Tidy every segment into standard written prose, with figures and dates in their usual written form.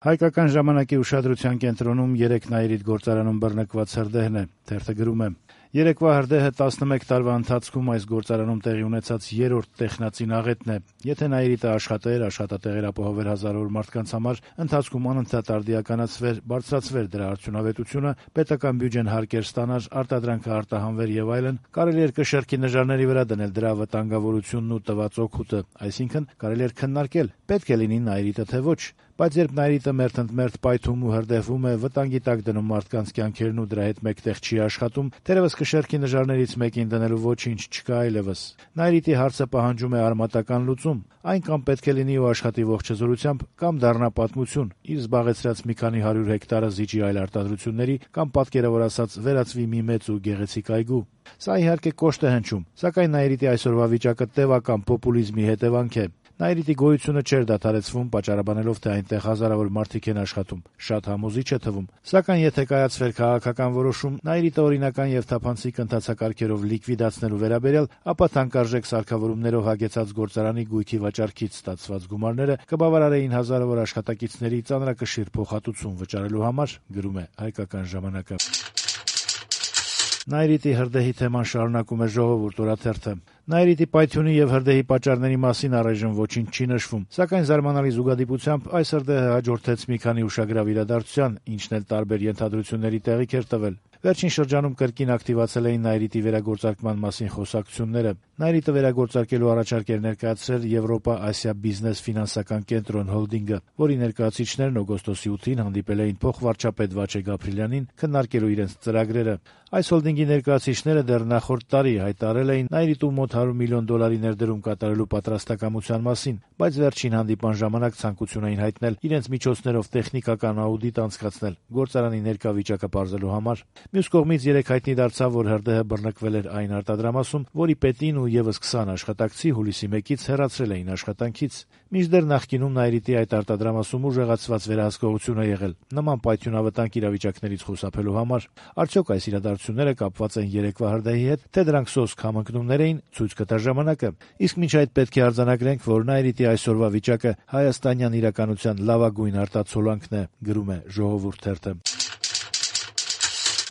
Հայկական ժամանակի ուշադրության կենտրոնում 3 Նաիրիդ գործարանում բռնկված հրդեհն է, թերթը գրում է. Երեկվա հրդեհը 11 տարվա ընթացքում այս գործարանում տեղի ունեցած 3-րդ տեխնացին աղետն է։ Եթե Նաիրիտը աշխատեր, աշխատատեղեր ապահովեր հազարավոր մարդկանց համար, ընթացքում անընդհատ արդիականացվեր, բարձրացվեր դրա արդյունավետությունը, պետական բյուջեն հարկեր ստանար, արտադրանքը արտահանվեր եւ այլն, կարելի էր կշեռքի նժարների վրա դնել դրա վտանգավորությունն ու տված օգուտը, այսինքն կարելի էր քննարկել, պետք է լինի Նաիրիտը թե ոչ։ Բայց երբ Նաիրիտը մերթընդմերթ պայթում ու հրդեհվում է, վտանգի տակ դնում մարդկանց կյանքերն ու դրա հետ մեկտեղ չի աշխատում, թերևս կշեռքի նժարներից մեկին դնելու ոչինչ չկա այլևս։ Նաիրիտի հարցը պահանջում է արմատական լուծում։ Այն կամ պետք է լինի ու աշխատի ողջ հզորությամբ, կամ դառնա պատմություն, իր զբաղեցրած մի քանի 100 հեկտարը զիջի այլ արտադրությունների, կամ պատկերավոր ասած վերածվի մի մեծ ու գեղեցիկ այգու։ Սա իհարկե կոշտ է հնչում, սակայն Նաիրիտի այսօրվա վիճակը տևական պոպուլիզմի հետևանք է։ Նաիրիտի գոյությունը չէր դադարեցվում, պատճառաբանելով, թե այնտեղ հազարավոր մարդիկ են աշխատում, շատ համոզիչ է թվում։ Սակայն եթե կայացվեր քաղաքական որոշում Նաիրիտը օրինական եւ թափանցիկ ընթացակարգերով լիկվիդացնելու վերաբերյալ, ապա թանկարժեք սարքավորումներով հագեցած գործարանի գույքի վաճառքից ստացված գումարները կբավարարեին հազարավոր աշխատակիցների ծանրակշիռ փոխհատուցում վճարելու համար, գրում է Հայկական ժամանակը։ Նաիրիտի հրդեհի թեման շարունակում է Ժողովուրդ օրաթերթը։ Նաիրիտի պայթյունի եւ հրդեհի պատճառների մասին առայժմ ոչինչ չի նշվում, սակայն զարմանալի զուգադիպությամբ այս հրդեհը հաջորդեց մի քանի ուշագրավ իրադարձության, ինչն էլ տարբեր ենթադրությունների տեղիք էր տվել։ Վերջին շրջանում կրկին ակտիվացել էին Նաիրիտի վերագործարկման մասին խոսակցությունները։ Նաիրիտը վերագործարկելու առաջարկ էր ներկայացրել Եվրոպա-Ասիա բիզնես ֆինանսական կենտրոն հոլդինգը, որի ներկայացուցիչներն օգոստոսի 8-ին հանդիպել էին փոխվարչապետ Վաչե Գաբրիելյանին քննարկելու իրենց ծրագրերը։ Այս հոլդինգի ներկայացուցիչները դեռ նախորդ տարի հայտարարել էին Նաիրիտում մոտ $100 միլիոն ներդրում կատարելու պատրաստակամության մասին, բայց վերջին հանդիպան ժամանակ ցանկություն էին հայտնել իրենց միջոցներով տեխնիկական աուդիտ անցկացնել գործարանի ներկա վիճակը պարզելու համար։ Մյուս կողմից երեք հայտնի դարձավ, որ հրդեհը բռնկվել էր այն արտադրամասում, որի պետին ու եւս 20 աշխատակցի հուլիսի 1-ից հեռացրել էին աշխատանքից։ Մինչդեռ նախկինում Նաիրիտի այդ արտադրամասում ուժեղացված վերահսկողություն է եղել նման պայթյունավտանգ իրավիճակներից խուսափելու համար։ Արդյոք այս իրադարձությունները կապված են երեկվա հրդեհի հետ, թե դրանք սոսկ համընկնումներ էին, ցույց կտա ժամանակը։ Իսկ մինչ այդ պետք է արձանագրենք, որ Նաիրիտի այսօրվա վիճակը հայաստանյան իրականության լավագույն արտացոլանքն է, գրում է Ժողովուրդ թերթը։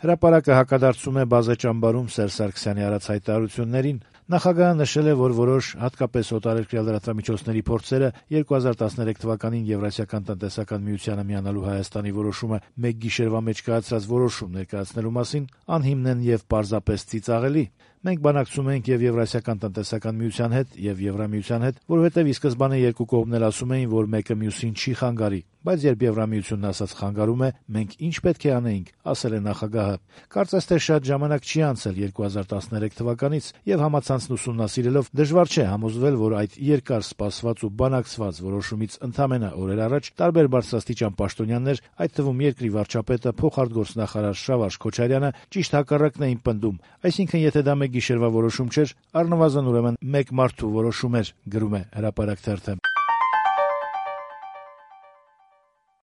Հրապարակը հակադարձում է բազե ճամբարում Սերժ Սարգսյանի արած հայտարարություններին։ Նախագահը նշել է, որ որոշ հատկապես օտարերկրյա լրատվամիջոցների փորձերը 2013 թվականին Եվրասիական տնտեսական միությանը միանալու Հայաստանի որոշումը մեկ գիշերվա մեջ կայացրած որոշում ներկայացնելու մասին անհիմն են եւ պարզապես ծիծաղելի։ Մենք բանակցում ենք եւ Եվրասիական տնտեսական միության հետ եւ Եվրամիության հետ, որովհետեւ ի սկզբանե երկու կողմն էլ ասում էին, որ մեկը մյուսին չի խանգարի, բայց երբ Եվրամիությունն ասած խանգարում է, մենք ինչ պետք է անեինք, ասել է նախագահը։ Կարծես թե շատ ժամանակ չի անցել 2013 թվականից եւ համացանցն ուսումնասիրելով դժվար չէ համոզվել, որ այդ երկար սպասված ու բանակցված որոշումից ընդամենը օրեր առաջ տարբեր բարձրաստիճան պաշտոնյաներ, այդ թվում երկրի վարչապետը, փոխարտգործնախարար Շավարժ Քոչարյանը ճիշտ հակառակն էին պնդում, այսինքն եթե դա գիշերվա որոշում չէր, առնվազն ուրեմն մեկ մարդու որոշում էր, գրում է Հրապարակ թերթը։